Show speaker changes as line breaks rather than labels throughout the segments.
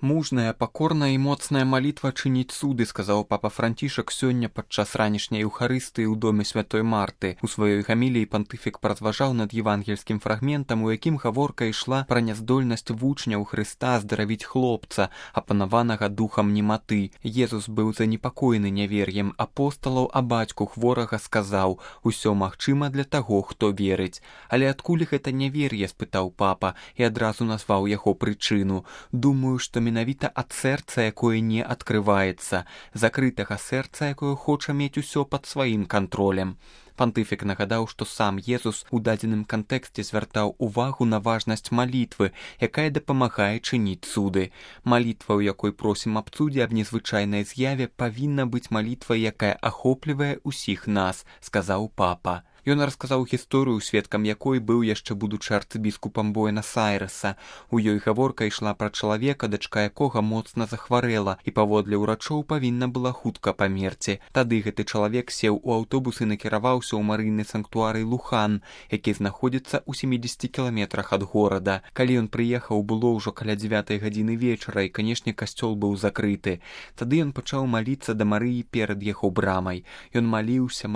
Мужная, пакорная і моцная малітва чыніць цуды, сказаў папа Францішак сёння падчас ранішняй еўхарыстыі ў доме святой Марты. У сваёй гаміліі пантыфік паразважаў над евангельскім фрагментам, у якім гаворка ішла пра няздольнасць вучняў Хрыста здаравіць хлопца, апанаванага духам нематы. Езус быў занепакоены нявер'ем апосталаў, а бацьку хворага сказаў: «Усё магчыма для таго, хто верыць». Але адкуль гэта нявер'е, спытаў папа і адразу назваў яго прычыну. Думаю, што менавіта ад сэрца, якое не адкрываецца, закрытага сэрца, якое хоча мець усё пад сваім кантролем. Пантыфік нагадаў, што сам Езус у дадзеным кантэксце звяртаў увагу на важнасць малітвы, якая дапамагае чыніць цуды. Малітва, у якой просім аб цудзе, аб незвычайнай з'яве, павінна быць малітвай, якая ахоплівае ўсіх нас, сказаў папа. Ён расказаў гісторыю, сведкам якой быў яшчэ будучы арцыбіскупам Буэнас-Айрэса. У ёй гаворка ішла пра чалавека, дачка якога моцна захварэла і паводле ўрачоў павінна была хутка памерці. Тады гэты чалавек сеў у аўтобус і накіраваўся ў марыйны санктуарый Лухан, які знаходзіцца ў 70 кіламетрах ад горада. Калі ён прыехаў, было ўжо каля 9 гадзіны вечара, і, канешне, касцёл быў закрыты. Тады ён пачаў маліцца да Марыі перад яго брамай. Ён маліўся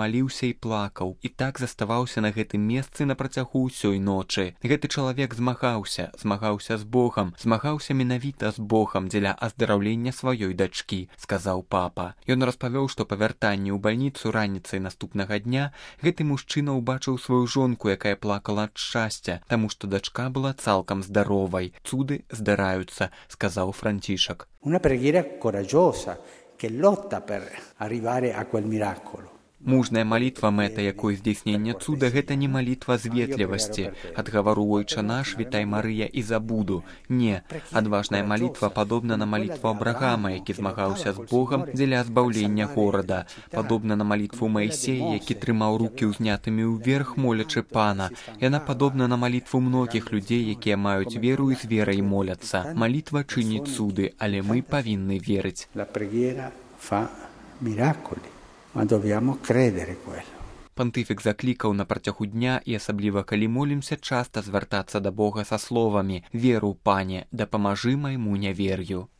і плакаў, і так заставаўся на гэтым месцы на працягу ўсёй ночы. Гэты чалавек змагаўся з Богам, змагаўся менавіта з Богам дзеля аздараўлення сваёй дачкі, сказаў папа. Ён распавёў, што па вяртанні ў бальніцу раніцай наступнага дня гэты мужчына ўбачыў сваю жонку, якая плакала ад шчасця, таму што дачка была цалкам здаровай. Цуды здараюцца, сказаў Францішак.
Una preghiera coraggiosa che lotta per arrivare a quel miracolo.
Мужная малітва, мэта якой здзейснення цуда, гэта не малітва з ветлівасці. Ад гавару «Ойча наш, вітай Марыя» і забуду. Не, адважная малітва падобна на малітву Абрагама, які змагаўся з Богам дзеля збаўлення горада. Падобна на малітву Маісея, які трымаў рукі ўзнятымі ўверх, молячы Пана. Яна падобна на малітву многіх людзей, якія маюць веру і з верай моляцца. Малітва чыніць цуды, але мы павінны верыць.
La preghiera fa miracoli. Ma dobbiamo credere quello.
Пантыфік заклікаў на працягу дня і асабліва калі молімся, часта звяртацца да Бога са словамі: «Веру, Пане, дапамажы майму нявер'ю».